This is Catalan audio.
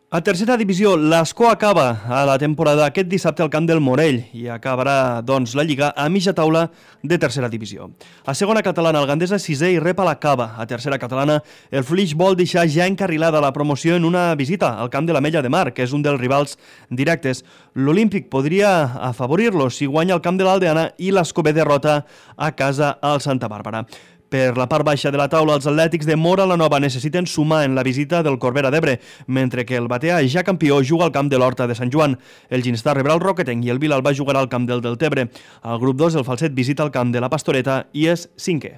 A tercera divisió, l'Escó acaba a la temporada aquest dissabte al camp del Morell i acabarà, doncs, la Lliga a mitja taula de tercera divisió. A segona catalana, el Gandesa sisè i rep a la Cava. A tercera catalana, el Flix vol deixar ja encarrilada la promoció en una visita al camp de l'Ametlla de Mar, que és un dels rivals directes. L'Olímpic podria afavorir-lo si guanya el camp de l'Aldeana i l'Escó B derrota a casa al Santa Bàrbara. Per la part baixa de la taula, els atlètics de Móra la Nova necessiten sumar en la visita del Corbera d'Ebre, mentre que el Batea, ja campió, juga al camp de l'Horta de Sant Joan. El Ginestar rebrà el Roquetenc i el Vilalba jugarà al camp del Deltebre. Al grup 2, el Falset visita el camp de la Pastoreta i és cinquè.